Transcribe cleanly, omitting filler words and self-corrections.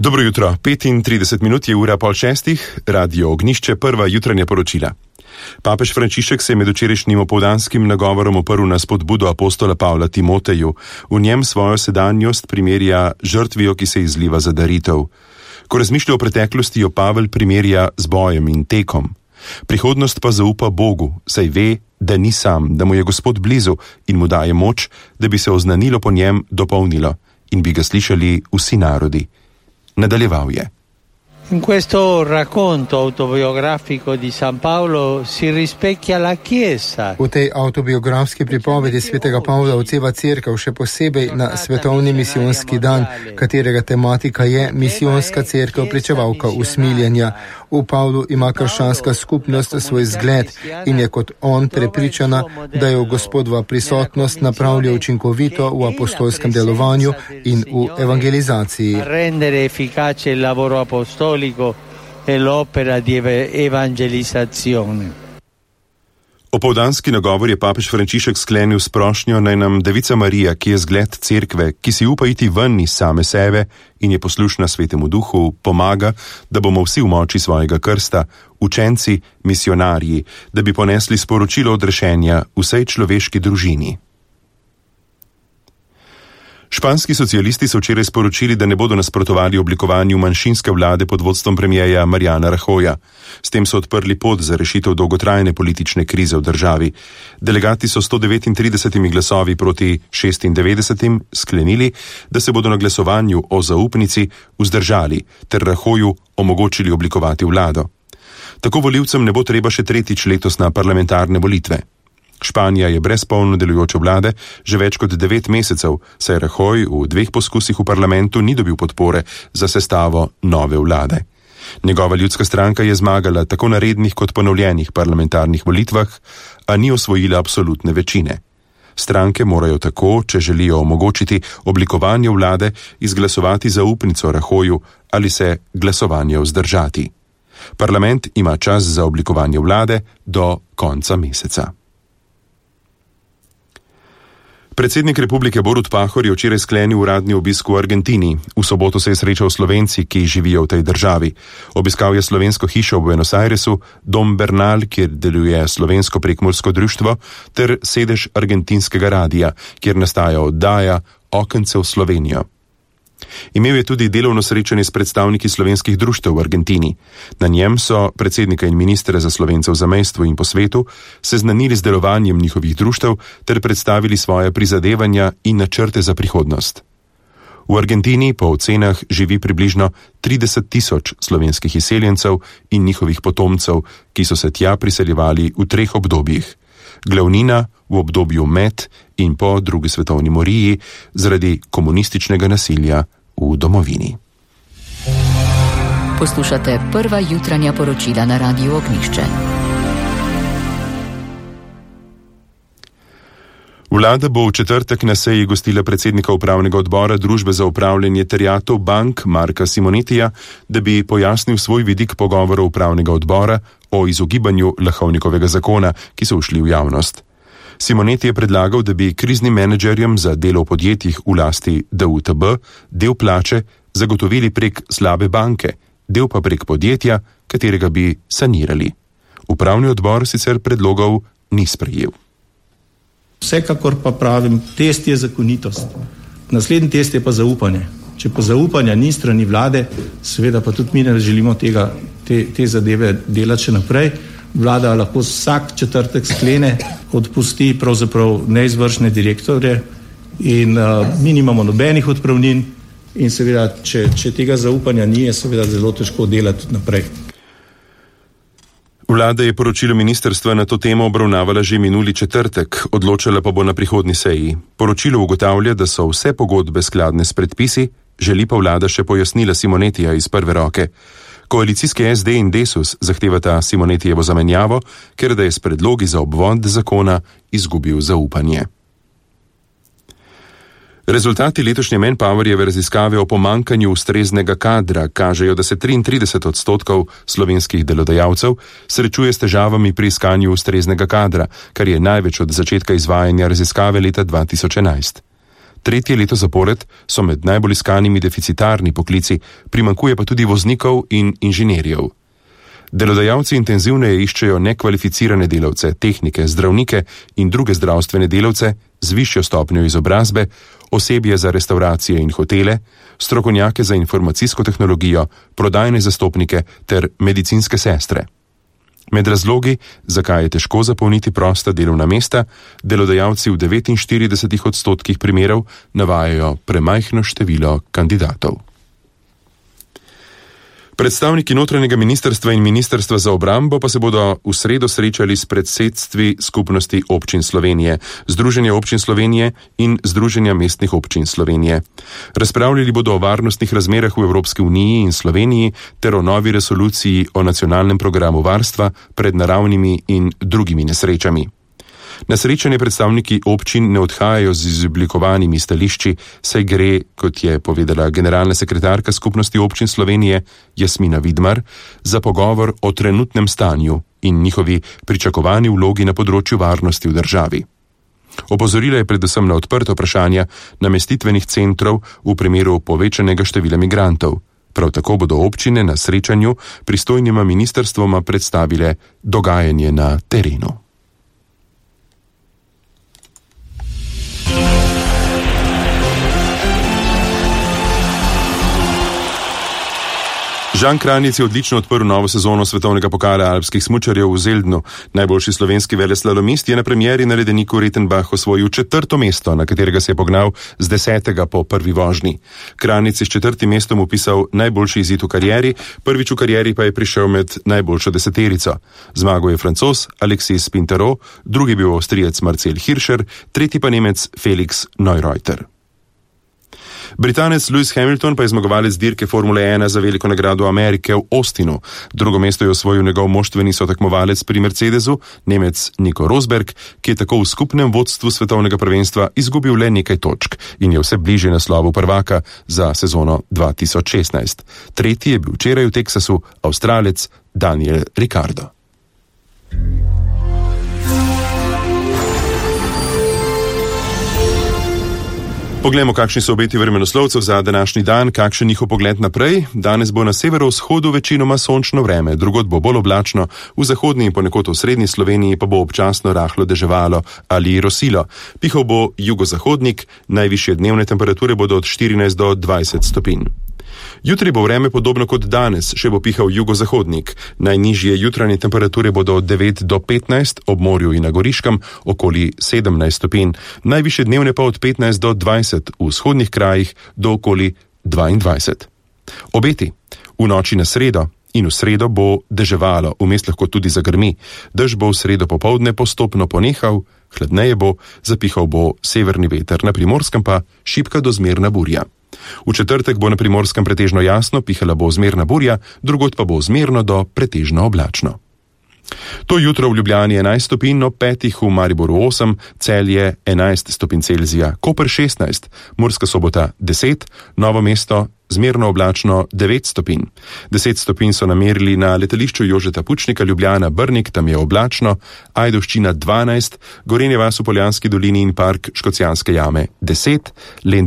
Dobro jutro, 35 minut je ura 5:30, Radio Ognjišče, prva jutranja poročila. Papež Frančišek se je med včerajšnjim opoldanskim nagovorom oprl na spodbudo apostola Pavla Timoteju. V njem svojo sedanjost primerja žrtvijo, ki se izliva za daritev. Ko razmišlja o preteklosti, jo Pavel primerja z bojem in tekom. Prihodnost pa zaupa Bogu, saj ve, da ni sam, da mu je Gospod blizu in mu daje moč, da bi se oznanilo po njem dopolnilo in bi ga slišali vsi narodi. Nadaljeval je. In questo racconto autobiografico di San Paolo si rispecchia la Chiesa. V tej autobiografski pripovedi svetega Pavla odseva cerkev, še posebej na svetovni misijonski dan, katerega tematika je misijonska cerkev, pričevalka usmiljenja. V Pavlu ima krščanska skupnost svoj zgled in je kot on prepričana, da jo Gospodova prisotnost napravlja učinkovito v apostolskem delovanju in v evangelizaciji. Rendere efficace il lavoro apostolico e l'opera di evangelizzazione. Opoldanski nagovor je papež Frančišek sklenil s prošnjo, naj nam Devica Marija, ki je zgled cerkve, ki si upa iti ven iz same sebe in je poslušna Svetemu Duhu, pomaga, da bomo vsi v moči svojega krsta, učenci, misionarji, da bi ponesli sporočilo odrešenja vsej človeški družini. Španski socialisti so včeraj sporočili, da ne bodo nasprotovali oblikovanju manjšinske vlade pod vodstvom premierja Mariana Rajoya. S tem so odprli pot za rešitev dolgotrajne politične krize v državi. Delegati so 139 glasovi proti 96 sklenili, da se bodo na glasovanju o zaupnici vzdržali ter Rajoyu omogočili oblikovati vlado. Tako volivcem ne bo treba še tretjič letos na parlamentarne volitve. Španija je brez polno delujoče vlade že več kot 9 mesecev, saj Rajoy v 2 poskusih v parlamentu ni dobil podpore za sestavo nove vlade. Njegova ljudska stranka je zmagala tako na rednih kot ponovljenih parlamentarnih volitvah, a ni osvojila absolutne večine. Stranke morajo tako, če želijo omogočiti oblikovanje vlade, izglasovati zaupnico Rajoyu ali se glasovanje vzdržati. Parlament ima čas za oblikovanje vlade do konca meseca. Predsednik republike Borut Pahor je včeraj sklenil uradni obisk v Argentini. V soboto se je srečal s Slovenci, ki živijo v tej državi. Obiskal je slovensko hišo v Buenos Airesu, dom Bernal, kjer deluje slovensko prekmursko društvo, ter sedež argentinskega radija, kjer nastaja oddaja Okence v Slovenijo. Imel je tudi delovno srečanje s predstavniki slovenskih društev v Argentini. Na njem so predsednika in ministra za Slovence v zamejstvu in po svetu seznanili z delovanjem njihovih društev ter predstavili svoje prizadevanja in načrte za prihodnost. V Argentini po ocenah živi približno 30.000 slovenskih izseljencev in njihovih potomcev, ki so se tja priseljevali v 3 obdobjih. Glavnina v obdobju med in po drugi svetovni moriji zaradi komunističnega nasilja v domovini. Poslušate prva jutranja poročila na Radiu Ognjišče. Vlada bo v četrtek na seji gostila predsednika upravnega odbora Družbe za upravljanje terjatev bank Marka Simonetija, da bi pojasnil svoj vidik pogovorov upravnega odbora o izogibanju Lahovnikovega zakona, ki so ušli v javnost. Simoneti je predlagal, da bi kriznim menedžerjem za delo v podjetjih v lasti DUTB del plače zagotovili prek slabe banke, del pa prek podjetja, katerega bi sanirali. Upravni odbor sicer predlogov ni sprejel. Vsekakor pa pravim, test je zakonitost. Naslednji test je pa zaupanje. Če pa zaupanja ni strani vlade, seveda pa tudi mi ne želimo te zadeve delati še naprej. Vlada lahko vsak četrtek sklene, odpusti pravzaprav neizvršne direktorje in mi nimamo nobenih odpravnin in seveda, če tega zaupanja ni, je seveda zelo težko delati naprej. Vlada je poročilo ministrstva na to temo obravnavala že minuli četrtek, odločala pa bo na prihodnji seji. Poročilo ugotavlja, da so vse pogodbe skladne s predpisi, želi pa vlada še pojasnila Simonetija iz prve roke. Koalicijske SD in Desus zahtevata Simonetijevo zamenjavo, ker da je s predlogi za obvod zakona izgubil zaupanje. Rezultati letošnje Manpowerjeve raziskave o pomankanju ustreznega kadra kažejo, da se 33% slovenskih delodajalcev srečuje s težavami pri iskanju ustreznega kadra, kar je največ od začetka izvajanja raziskave leta 2011. Tretje leto zapored so med najbolj iskanimi deficitarni poklici, primanjkuje pa tudi voznikov in inženirjev. Delodajalci intenzivneje iščejo nekvalificirane delavce, tehnike, zdravnike in druge zdravstvene delavce z višjo stopnjo izobrazbe, osebje za restauracije in hotele, strokovnjake za informacijsko tehnologijo, prodajne zastopnike ter medicinske sestre. Med razlogi, zakaj je težko zapolniti prosta delovna mesta, delodajalci v 49% primerov navajajo premajhno število kandidatov. Predstavniki notranjega ministrstva in ministrstva za obrambo pa se bodo v sredo srečali s predsedstvi Skupnosti občin Slovenije, Združenja občin Slovenije in Združenja mestnih občin Slovenije. Razpravljali bodo o varnostnih razmerah v Evropski uniji in Sloveniji ter o novi resoluciji o nacionalnem programu varstva pred naravnimi in drugimi nesrečami. Na srečanje predstavniki občin ne odhajajo z izoblikovanimi stališči, saj gre, kot je povedala generalna sekretarka Skupnosti občin Slovenije Jasmina Vidmar, za pogovor o trenutnem stanju in njihovi pričakovani vlogi na področju varnosti v državi. Opozorila je predvsem na odprta vprašanja namestitvenih centrov v primeru povečanega števila migrantov. Prav tako bodo občine na srečanju pristojnima ministrstvoma predstavile dogajanje na terenu. Žan Kranjec je odlično odprl novo sezono svetovnega pokala alpskih smučarjev v Zeldnu. Najboljši slovenski veleslalomist je na premieri na ledeniku Rettenbach osvojil 4. mesto, na katerega se je pognal z 10. po prvi vožnji. Kranjec je s 4. mestom upisal najboljši izid v karieri, prvič v karieri pa je prišel med najboljšo deseterico. Zmagal je Francoz Alexis Pintaro, drugi bil Avstrijec Marcel Hirscher, tretji pa Nemec Felix Neureuter. Britanec Lewis Hamilton pa je zmagovalec dirke Formule 1 za veliko nagrado Amerike v Austinu. Drugo mesto je osvojil njegov moštveni sotekmovalec pri Mercedesu, Nemec Nico Rosberg, ki je tako v skupnem vodstvu svetovnega prvenstva izgubil le nekaj točk in je vse bližje naslovu prvaka za sezono 2016. Tretji je bil včeraj v Teksasu Avstralec Daniel Ricciardo. Poglejmo, kakšni so obeti vremenoslovcev za današnji dan, kakšen njihov pogled naprej. Danes bo na severovzhodu večinoma sončno vreme, drugod bo bolj oblačno, v zahodni in ponekod v srednji Sloveniji pa bo občasno rahlo deževalo ali rosilo. Pihal bo jugozahodnik, najvišje dnevne temperature bodo od 14 do 20 stopinj. Jutri bo vreme podobno kot danes, še bo pihal jugozahodnik. Najnižje jutranje temperature bodo od 9 do 15, ob morju in na Goriškem okoli 17 stopinj, najvišje dnevne pa od 15 do 20, v vzhodnih krajih do okoli 22. Obeti. V noči na sredo in v sredo bo deževalo, vmes lahko tudi zagrmi. Dež bo v sredo popoldne postopno ponehal, hladneje bo, zapihal bo severni veter, na Primorskem pa šibka do zmerna burja. V četrtek bo na Primorskem pretežno jasno, pihala bo zmerna burja, drugod pa bo zmerno do pretežno oblačno. To jutro v Ljubljani 11 stopinj, ob 5 v Mariboru 8, Celje 11 stopinj Celzija, Koper 16, Murska Sobota 10, Novo mesto zmerno oblačno 9 stopinj. 10 stopinj so namerili na letališču Jožeta Pučnika Ljubljana Brnik, tam je oblačno, Ajdovščina 12, Gorenje vas v Poljanski dolini in park Škocjanske jame 10, Lendava